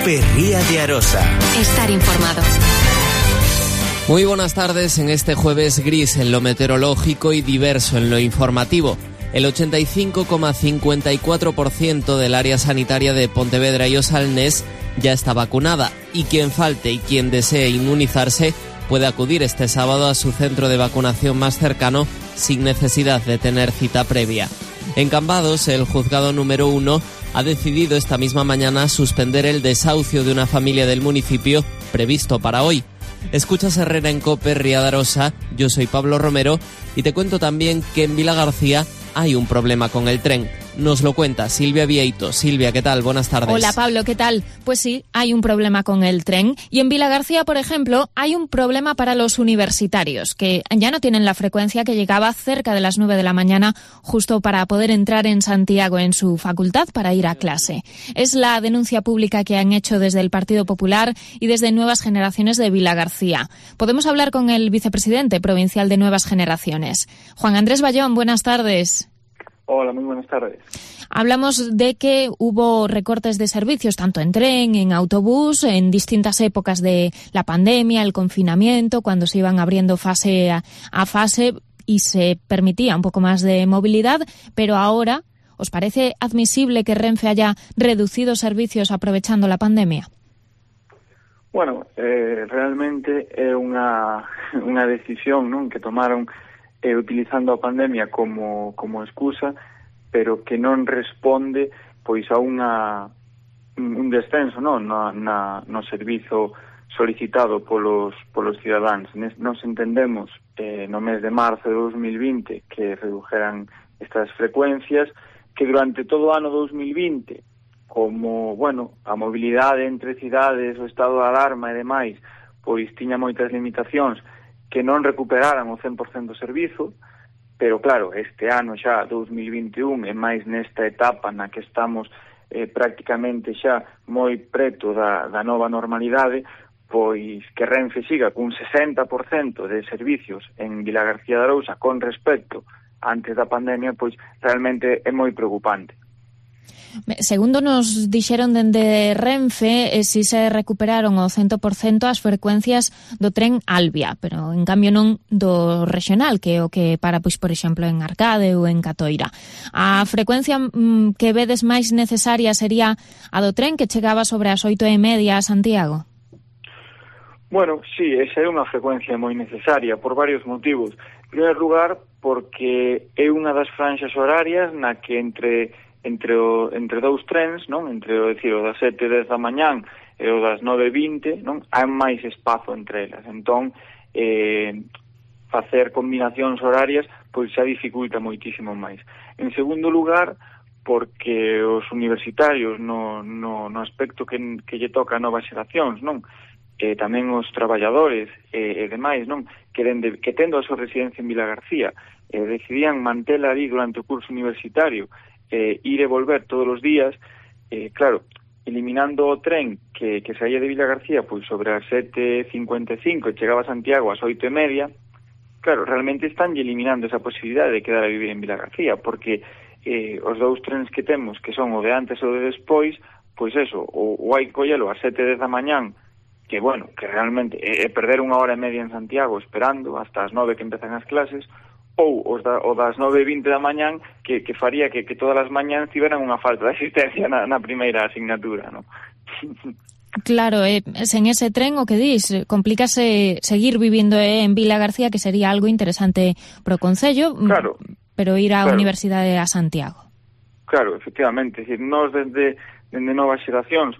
Cope Ría de Arosa. Estar informado. Muy buenas tardes en este jueves gris en lo meteorológico y diverso en lo informativo. El 85,54% del área sanitaria de Pontevedra y Osalnés ya está vacunada y quien falte y quien desee inmunizarse puede acudir este sábado a su centro de vacunación más cercano sin necesidad de tener cita previa. En Cambados, el juzgado número 1 ha decidido esta misma mañana suspender el desahucio de una familia del municipio previsto para hoy. Escuchas Herrera en Cope Ría de Arosa, yo soy Pablo Romero y te cuento también que en Vilagarcía hay un problema con el tren. Nos lo cuenta Silvia Vieito. Silvia, ¿qué tal? Buenas tardes. Hola Pablo, ¿qué tal? Pues sí, hay un problema con el tren. Y en Vilagarcía, por ejemplo, hay un problema para los universitarios, que ya no tienen la frecuencia que llegaba cerca de las 9 de la mañana, justo para poder entrar en Santiago en su facultad para ir a clase. Es la denuncia pública que han hecho desde el Partido Popular y desde Nuevas Generaciones de Vilagarcía. Podemos hablar con el vicepresidente provincial de Nuevas Generaciones. Juan Andrés Bayón, buenas tardes. Hola, muy buenas tardes. Hablamos de que hubo recortes de servicios, tanto en tren, en autobús, en distintas épocas de la pandemia, el confinamiento, cuando se iban abriendo fase a fase y se permitía un poco más de movilidad, pero ahora, ¿os parece admisible que Renfe haya reducido servicios aprovechando la pandemia? Bueno, realmente é unha decisión, non, que tomaron utilizando a pandemia como excusa, pero que non responde pois a un descenso, non, no servizo solicitado polos cidadáns. Nos entendemos no mes de marzo de 2020 que redujeran estas frecuencias, que durante todo o ano 2020, como, bueno, a mobilidade entre cidades, o estado de alarma e demais, pois tiña moitas limitacións, que non recuperaran o 100% do servizo, pero claro, este ano xa, 2021, e máis nesta etapa na que estamos prácticamente xa moi preto da nova normalidade, pois que Renfe siga cun 60% de servicios en Vilagarcía de Arousa con respecto antes da pandemia, pois realmente é moi preocupante. Segundo nos dixeron dende Renfe, si se recuperaron ao 100% as frecuencias do tren Albia, pero en cambio non do regional, que é o que para, pois, por exemplo, en Arcade ou en Catoira. A frecuencia que vedes máis necesaria sería a do tren que chegaba sobre as 8:30 a Santiago? Bueno, sí, esa é unha frecuencia moi necesaria por varios motivos. En primeiro lugar, porque é unha das franxas horarias na que entre dous trens, non? Entre o das 7:10 da mañán e o das 9:20, non? Hai máis espazo entre elas. Entón, facer combinacións horarias pois xa dificulta moitísimo máis. En segundo lugar, porque os universitarios no aspecto que lle toca a novas xeracións, non? Tamén os traballadores e demais, non? Que tendo a súa residencia en Vilagarcía decidían mantela ali durante o curso universitario, ir e volver todos os días, claro, eliminando o tren que saía de Vilagarcía pois sobre as 7:55 e chegaba a Santiago ás 8:30, claro, realmente están eliminando esa posibilidade de quedar a vivir en Vilagarcía, porque os dous trens que temos, que son o de antes e o de despois, pois eso, o hai que collelo ás 7:10 da mañán, que bueno, que realmente é perder 1 hora e media en Santiago esperando hasta as 9 que empezan as clases, ou o das 9:20 da mañán que faría que todas as mañáns tiveran unha falta de asistencia na primeira asignatura, non? Claro, sen ese tren, o que dis, complícase seguir vivindo en Vilagarcía, que sería algo interesante pro concello, claro, pero ir á Universidade a Santiago. Claro, efectivamente, es decir, nós desde Novas Xeracións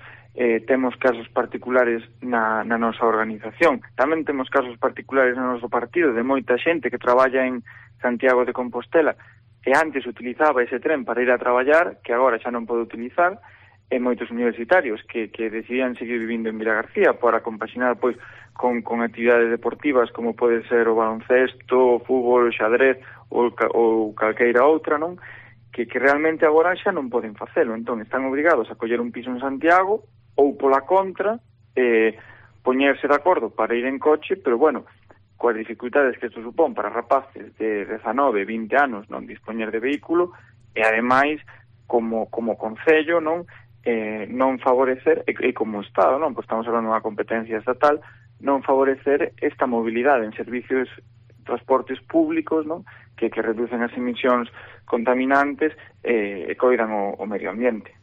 temos casos particulares na nosa organización. Tamén temos casos particulares no noso partido de moita xente que traballa en Santiago de Compostela que antes utilizaba ese tren para ir a traballar, que agora xa non pode utilizar, e moitos universitarios que decidían seguir vivindo en Vilagarcía para compaxinar pois con actividades deportivas como pode ser o baloncesto, o fútbol, o xadrez ou calqueira outra, non? Que realmente agora xa non poden facelo. Entón están obrigados a coller un piso en Santiago ou pola contra poñerse de acordo para ir en coche, pero bueno, coas dificultades que isto supón para rapaces de 19, 20 anos non dispoñer de vehículo, e ademais como concello, non, non favorecer, e como Estado, non, pois estamos falando dunha competencia estatal, non favorecer esta mobilidade en servicios transportes públicos, non, que reducen as emisións contaminantes e coidan o medio ambiente.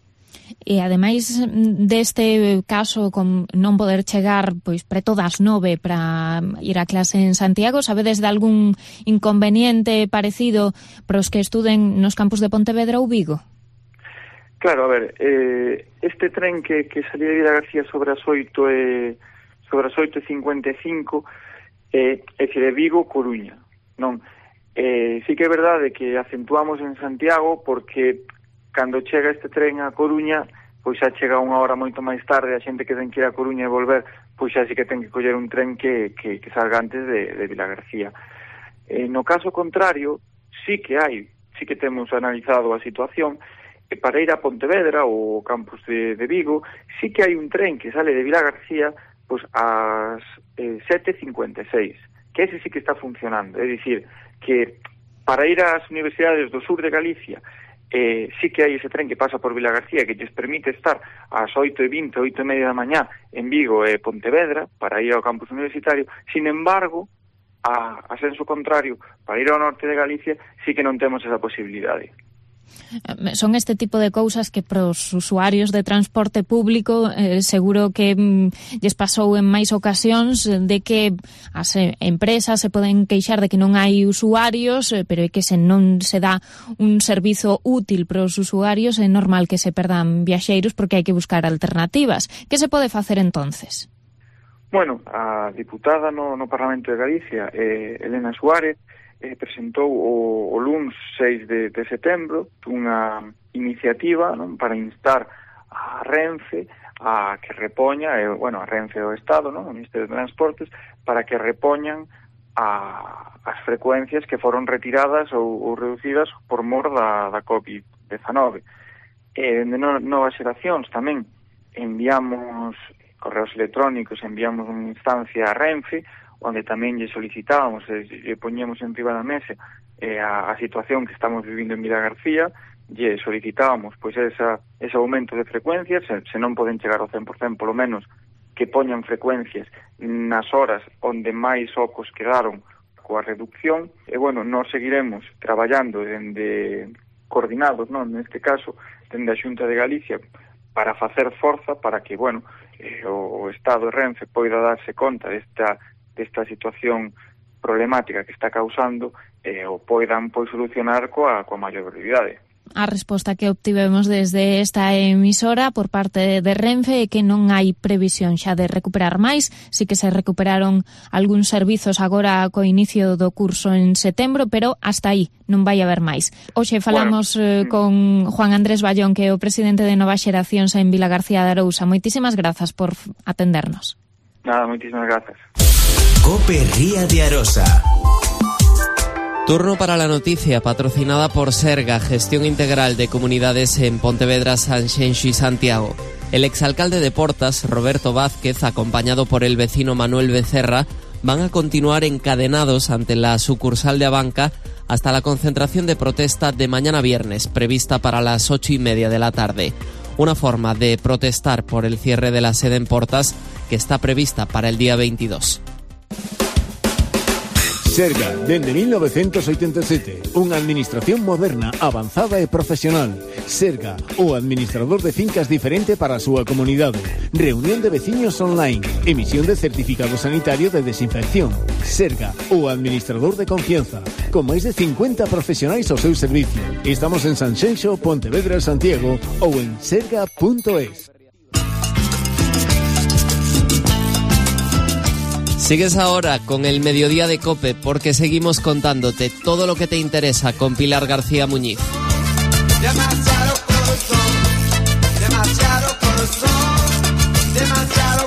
E ademais deste caso con non poder chegar pois preto das 9 para ir a clase en Santiago, sabedes de algún inconveniente parecido para os que estuden nos campus de Pontevedra ou Vigo? Claro, a ver, este tren que salía de Vilagarcía sobre as 8:55 é de Vigo, Coruña, non? Sí que é verdade que acentuamos en Santiago porque cando chega este tren a Coruña, pois xa chega unha hora moito máis tarde, a xente que ten que ir a Coruña e volver, pois xa sí que ten que coller un tren que salga antes de Vilagarcía. No caso contrario, sí que temos analizado a situación, e para ir a Pontevedra ou campus de Vigo, sí que hai un tren que sale de Vilagarcía pois ás 7:56, que ese sí que está funcionando, é dicir, que para ir ás universidades do sur de Galicia, sí que hai ese tren que pasa por Vilagarcía que lles permite estar ás 8:20, 8:30 da mañá en Vigo e Pontevedra para ir ao campus universitario. Sin embargo, a senso contrario, para ir ao norte de Galicia sí que non temos esa posibilidade. Son este tipo de cousas que pros usuarios de transporte público seguro que lles pasou en máis ocasións, de que as empresas se poden queixar de que non hai usuarios, pero é que se non se dá un servizo útil pros usuarios é normal que se perdan viaxeiros porque hai que buscar alternativas. Que se pode facer entonces? Bueno, a diputada no Parlamento de Galicia, Elena Suárez, presentou o luns 6 de setembro unha iniciativa, non, para instar a Renfe a que repoña, a Renfe do Estado, non, o Ministerio de Transportes, para que repoñan as frecuencias que foron retiradas ou reducidas por mor da COVID-19. De Novas Xeracións tamén enviamos correos electrónicos, enviamos unha instancia a Renfe, onde tamén lle solicitábamos e poñemos en riba da mesa a situación que estamos vivindo en Vilagarcía, lle solicitábamos pois ese aumento de frecuencias, se non poden chegar ao 100%, polo menos que poñan frecuencias nas horas onde máis ocos quedaron coa reducción, e nós seguiremos traballando coordinados, non, neste caso, dende a Xunta de Galicia, para facer forza para que, o Estado de Renfe poida darse conta desta situación problemática que está causando o poidan solucionar coa maior brevidade. A resposta que obtivemos desde esta emisora por parte de Renfe é que non hai previsión xa de recuperar máis, si que se recuperaron algúns servizos agora co inicio do curso en setembro, pero hasta aí non vai haber máis. Hoxe falamos con Juan Andrés Ballón, que é o presidente de Novas Xeracións en Vilagarcía de Arousa. Moitísimas grazas por atendernos. Nada, moitísimas grazas. COPE Ría de Arosa. Turno para la noticia, patrocinada por Serga, Gestión Integral de Comunidades en Pontevedra, Sanxenxo y Santiago. El exalcalde de Portas, Roberto Vázquez, acompañado por el vecino Manuel Becerra, van a continuar encadenados ante la sucursal de Abanca hasta la concentración de protesta de mañana viernes, prevista para las 8:30 de la tarde. Una forma de protestar por el cierre de la sede en Portas, que está prevista para el día 22. Serga, dende 1987, unha administración moderna, avanzada e profesional. Serga, o administrador de fincas diferente para a súa comunidade. Reunión de veciños online, emisión de certificado sanitario de desinfección. Serga, o administrador de confianza, con máis de 50 profesionais ao seu servicio. Estamos en Sanxenxo, Pontevedra, Santiago ou en serga.es. Sigues ahora con el Mediodía de COPE porque seguimos contándote todo lo que te interesa con Pilar García Muñiz. Demasiado corazón, demasiado corazón, demasiado